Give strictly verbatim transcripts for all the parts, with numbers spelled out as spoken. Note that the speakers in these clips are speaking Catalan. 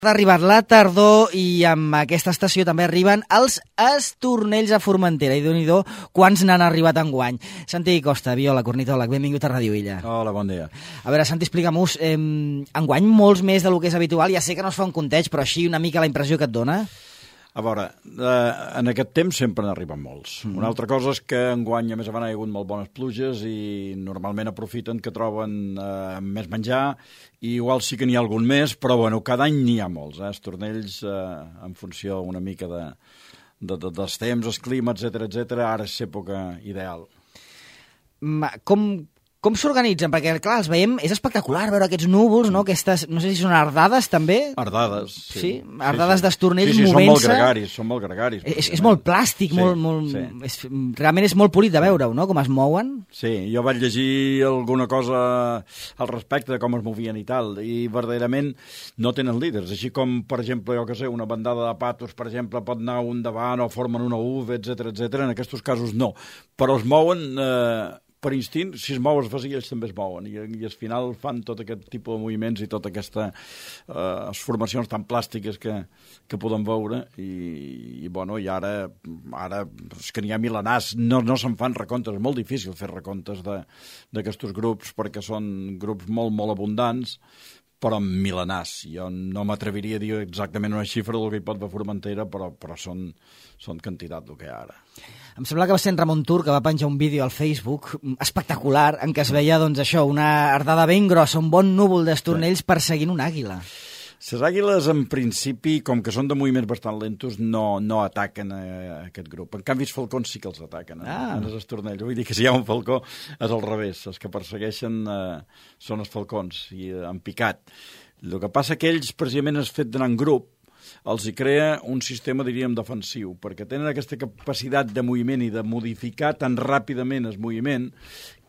Ha arribat la tardor i amb aquesta estació també arriben els estornells a Formentera. I déu-n'hi-do quants n'han arribat enguany. Santi Costa, viola, cornitòleg, benvingut a Ràdio Illa. Hola, bon dia. A veure, Santi, explica'm-us, eh, enguany molts més del que és habitual. Ja sé que no es fa un compteig, però així una mica la impressió que et dona? A veure, eh, en aquest temps sempre n'arriben molts. Mm. Una altra cosa és que enguany, a més a més, hi ha hagut molt bones pluges i normalment aprofiten que troben eh, més menjar i igual sí que n'hi ha algun més, però bueno, cada any n'hi ha molts, eh, estornells eh, en funció una mica de, de, de, dels temps, els climes, etcètera, etcètera. Ara és època ideal. Ma, com... Com s'organitzen? Perquè, clar, els veiem... És espectacular veure aquests núvols, no? Aquestes, no sé si són ardades, també? Ardades, sí. Sí? Ardades sí, sí. d'estornells sí, sí, movent-se. Són molt gregaris, són molt gregaris. És, és molt plàstic, sí, molt... molt sí. és, realment és molt polit de veure-ho, no?, com es mouen. Sí, jo vaig llegir alguna cosa al respecte de com es movien i tal, i verdaderament no tenen líders. Així com, per exemple, jo que sé, una bandada de patos, per exemple, pot anar un davant o formen una U V, etcètera, etcètera. En aquests casos no. Però es mouen... Eh, per instint, si es mou es vacía, ells també es mouen, i, i al final fan tot aquest tipus de moviments i tota aquesta eh, formacions tan plàstiques que, que podem veure, i, i, bueno, i ara, ara és que n'hi ha milenars, no, no se'n fan recomptes, és molt difícil fer recomptes d'aquests grups, perquè són grups molt, molt abundants, però mil·lenars. Jo no m'atreviria a dir exactament una xifra del que hi pot haver Formentera, però, però són, són quantitat del que hi ha ara. Em sembla que va ser en Ramon Tur que va penjar un vídeo al Facebook espectacular en què es veia, doncs, això, una ardada ben grossa, un bon núvol d'estornells sí. perseguint una àguila. Les àguiles, en principi, com que són de moviments bastant lentos, no, no ataquen a, a aquest grup. En canvi, els falcons sí que els ataquen, eh? ah. els estornells. Vull dir que si hi ha un falcó és al revés. Els que persegueixen eh, són els falcons, i eh, en picat. El que passa que ells, precisament, és fet d'anar en grup, els hi crea un sistema, diríem, defensiu, perquè tenen aquesta capacitat de moviment i de modificar tan ràpidament el moviment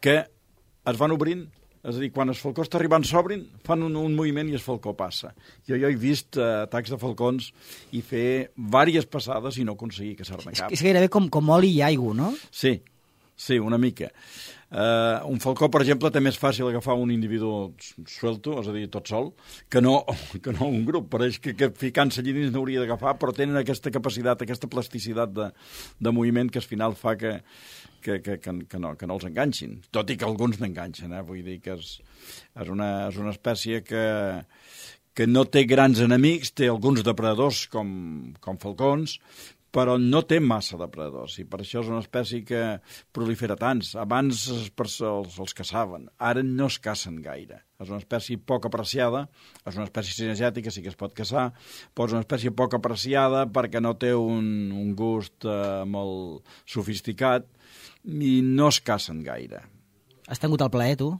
que es van obrint. És a dir, quan el falcó està arribant, s'obrin, fan un, un moviment i el falcó passa. Jo, jo he vist uh, atacs de falcons i fer diverses passades i no aconseguir que s'arme cap. És, és gairebé com, com oli i aigua, no? Sí, sí, una mica. Uh, un falcó, per exemple, té més fàcil agafar un individu suelto, és a dir, tot sol, que no, que no un grup. Pareix que, que ficant-se allí dins n'hauria d'agafar, però tenen aquesta capacitat, aquesta plasticitat de, de moviment que al final fa que, que, que, que, que, no, que no els enganxin. Tot i que alguns n'enganxen, eh? Vull dir que és, és, una, és una espècie que, que no té grans enemics, té alguns depredadors com, com falcons, però no té massa depredadors, i per això és una espècie que prolifera tants. Abans els, els, els caçaven, ara no es cacen gaire. És una espècie poc apreciada, és una espècie cinegètica, sí que es pot caçar, però és una espècie poc apreciada perquè no té un, un gust eh, molt sofisticat i no es cacen gaire. Has tingut el plaer, tu?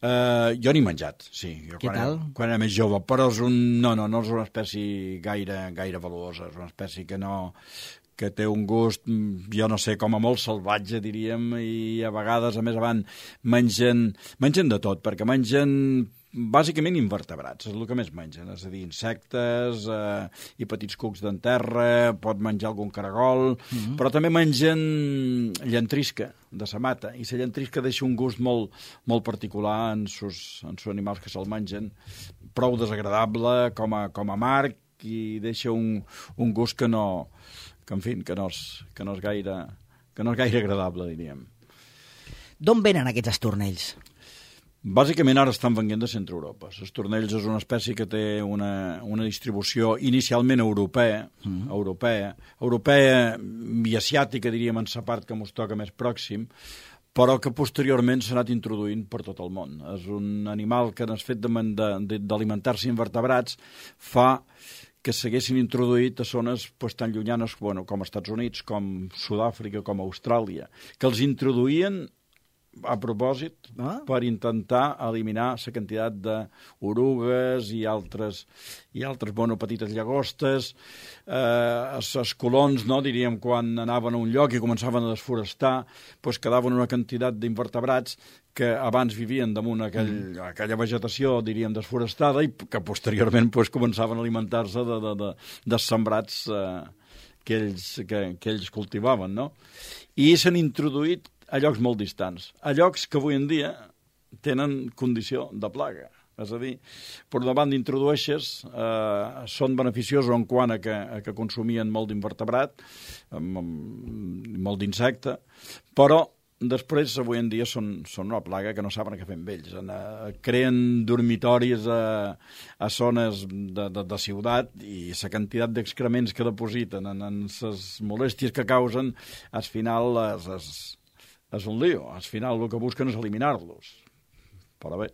Uh, jo n'he menjat, sí. Jo Què quan tal? Era, quan era més jove, però és un, no, no, no és una espècie gaire, gaire valuosa, és una espècie que no que té un gust, jo no sé, com a molt salvatge, diríem, i a vegades, a més avant, mengen, mengen de tot, perquè mengen bàsicament invertebrats, és el que més mengen, és a dir, insectes eh, i petits cucs d'en terra, pot menjar algun caragol, mm-hmm. però també mengen llantrisca de sa mata, i la llantrisca deixa un gust molt, molt particular en sus, en sus animals que se'l mengen, prou desagradable com a, com a marc, i deixa un, un gust que no, que en fi, que no és, que no és gaire, que no és gaire agradable, diríem. D'on venen aquests estornells? Bàsicament ara estan venint de Centre Europa. L'estornells és una espècie que té una, una distribució inicialment europea, mm. europea, europea i asiàtica, diríem, en sa part que mos toca més pròxim, però que posteriorment s'ha anat introduint per tot el món. És un animal que en el fet d'alimentar-se invertebrats fa que s'haguessin introduït a zones pues, tan llunyanes bueno, com els Estats Units, com Sud-àfrica, com Austràlia, que els introduïen a propòsit ah? per intentar eliminar la quantitat d'orugues i altres, i altres bueno, petites llagostes. Eh, els, els colons, no, diríem, quan anaven a un lloc i començaven a desforestar, pues, quedaven una quantitat d'invertebrats que abans vivien damunt aquell, mm. aquella vegetació, diríem, desforestada, i que posteriorment pues, començaven a alimentar-se de, de, de, de sembrats eh, que, ells, que, que ells cultivaven, no? I s'han introduït a llocs molt distants, a llocs que avui en dia tenen condició de plaga. És a dir, per una banda introdueixes, eh, són beneficiosos en quant a que, a que consumien molt d'invertebrat, molt d'insecte, però després, avui en dia, són, són una plaga que no saben què fer amb ells. Eh, creen dormitoris a, a zones de, de, de ciutat i la quantitat d'excrements que depositen en, en les molèsties que causen, al final és, és, és un lío. Al final el que busquen és eliminar-los. Però bé.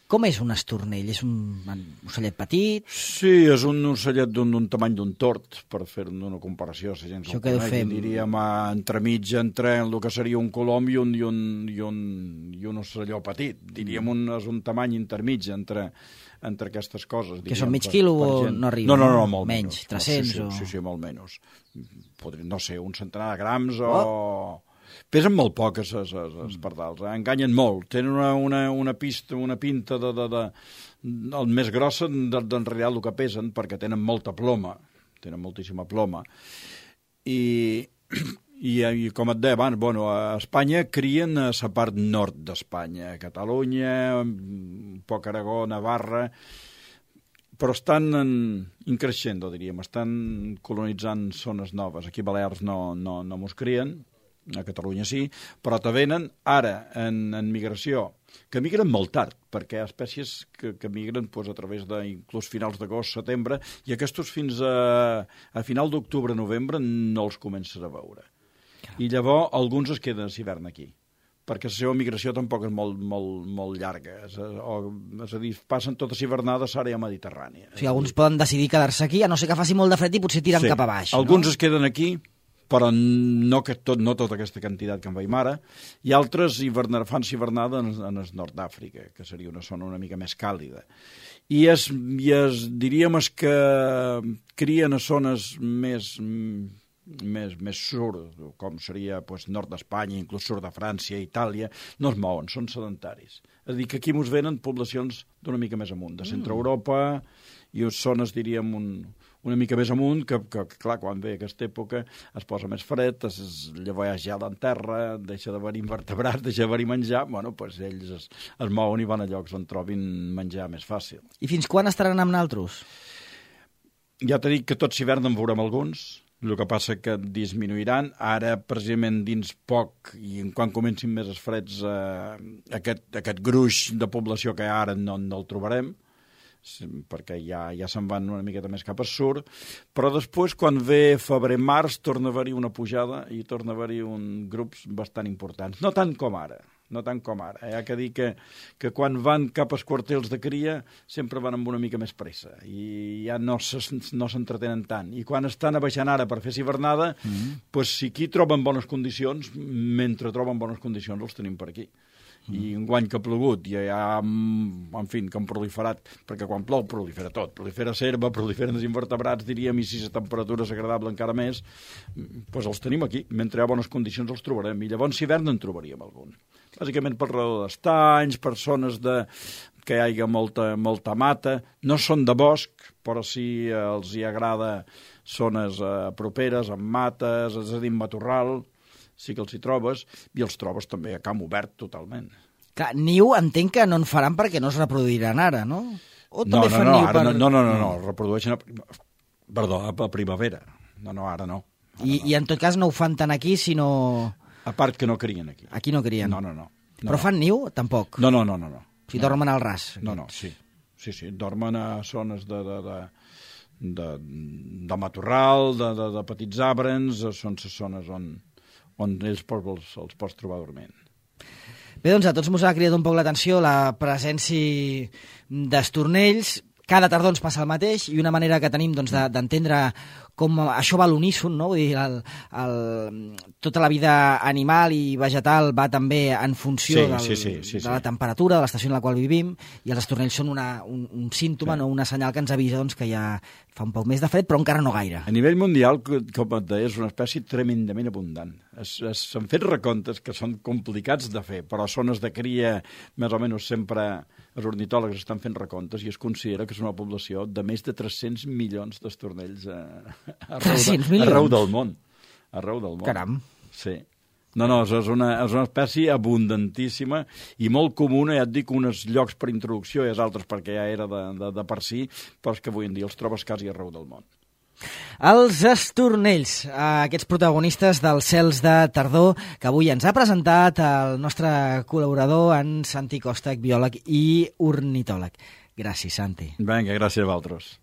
Com és un estornell? És un ocellet petit? Sí, és un ocellet d'un tamany d'un tort, per fer una comparació. Si gent Això que deu fer... Diríem entremig entre el que seria un colom i un, i un, i un, i un ocelló petit. Diríem un, és un tamany intermig entre, entre aquestes coses. Que són mig quilo o no arriba? No, no, no, molt menys. Menys, tres-cents no, sí, sí, o... sí, sí, molt menys. Podria, no sé, un centenar de grams o... Oh. Pesen molt poc, els, els, els pardals, eh? Enganyen molt. Tenen una, una, una, pista, una pinta de, de, de, el més grossa d'en real el que pesen, perquè tenen molta ploma, tenen moltíssima ploma. I, i, i com et deia abans, bueno, a Espanya crien a la part nord d'Espanya, a Catalunya, un poc Aragó, Navarra, però estan en, increixendo, diríem, estan colonitzant zones noves. Aquí a Balears no, no, no mos crien, a Catalunya sí, però te venen ara en, en migració, que migren molt tard, perquè hi ha espècies que, que migren pues, a través de inclús finals d'agost, setembre, i aquests fins a, a final d'octubre, novembre, no els comences a veure. I llavors alguns es queden a l'hivern aquí, perquè la seva migració tampoc és molt, molt, molt llarga. És a, o, és a dir, passen totes hivernades a l'àrea mediterrània. O sigui, alguns poden decidir quedar-se aquí, a no ser que faci molt de fred i potser tiren sí. cap a baix. Alguns no? es queden aquí, però no, que tot, no tota aquesta quantitat que en veiem ara, i altres hivernar, fan hivernada en, en el nord d'Àfrica, que seria una zona una mica més càlida. I, es, i es, diríem es que crien a zones més, més, més sud, com seria pues, nord d'Espanya, inclús sud de França, Itàlia, no es mouen, són sedentaris. És a dir, que aquí mos venen poblacions d'una mica més amunt, de centre Europa i zones, diríem, un... una mica més amunt, que, que, que clar, quan ve aquesta època es posa més fred, es, llavors hi ha gel en terra, deixa d'haver-hi invertebrats, deixa d'haver-hi menjar, bueno, doncs ells es, es mouen i van a llocs on trobin menjar més fàcil. I fins quan estaran amb naltros? Ja t'he dit que tot s'hivern en veurem alguns, el que passa que disminuiran, ara precisament dins poc, i quan comencin més els freds, eh, aquest, aquest gruix de població que hi ha ara no, no el trobarem, perquè ja, ja se'n van una miqueta més cap al sud, però després, quan ve febrer-març, torna a haver-hi una pujada i torna a haver-hi un grups bastant importants. No tant com ara, no tant com ara. Hi ha que dir que, que quan van cap als quartels de cria sempre van amb una mica més pressa i ja no s'entretenen no tant. I quan estan baixant ara per fer hivernada, mm-hmm. pues, si aquí troben bones condicions, mentre troben bones condicions els tenim per aquí. I un guany que ha plogut i ja, en fi, que han proliferat, perquè quan plou prolifera tot, prolifera serva, proliferen els invertebrats, diríem, i si la temperatura és agradable encara més, doncs els tenim aquí. Mentre hi ha bones condicions els trobarem, i llavors hivern en trobaríem algun. Bàsicament per raó d'estanys, per zones de... que hi hagi molta, molta mata, no són de bosc, però sí els hi agrada zones eh, properes, amb mates, és a dir, matorral, sí que els hi trobes, i els trobes també a camp obert totalment. Clar, niu entenc que no en faran perquè no es reproduiran ara, no? O no, també no, fan no, niu ara per... no, no, no, no, reprodueixen a... Perdó, a primavera. No, no, ara no. Ara I, no. I en tot cas no ho fan tant aquí, sinó... A part que no crien aquí. Aquí no crien. No, no, no. no Però fan niu? Tampoc. No, no, no, no. no. O sigui, dormen al ras. No, no, sí. Sí, sí, dormen a zones de... de, de... De, de matorral, de, de, de petits arbres, són les zones on, on ells els, els pots trobar dormint. Bé, doncs a tots mos ha cridat un poc l'atenció la presència d'estornells. Cada tardor ens passa el mateix i una manera que tenim doncs, d'entendre com això va a l'uníson, no? Vull dir, el, el, tota la vida animal i vegetal va també en funció sí, del, sí, sí, sí, de la temperatura, de l'estació en la qual vivim, i els estornells són una, un, un símptoma, sí. no? Una senyal que ens avisa doncs, que ja fa un poc més de fred, però encara no gaire. A nivell mundial, com et deia, és una espècie tremendament abundant. S'han fet recomptes que són complicats de fer, però zones de cria, més o menys sempre els ornitòlegs estan fent recomptes i es considera que és una població de més de tres-cents milions d'estornells a, arreu, de, arreu del món. Arreu del món. Caram. Sí. No, no, és una, és una espècie abundantíssima i molt comuna, ja et dic, uns llocs per introducció i els altres perquè ja era de, de, de per si, però és que avui en dia els trobes quasi arreu del món. Els estornells, aquests protagonistes dels cels de tardor que avui ens ha presentat el nostre col·laborador, en Santi Costa, biòleg i ornitòleg. Gràcies, Santi. Vinga, gràcies a vosaltres.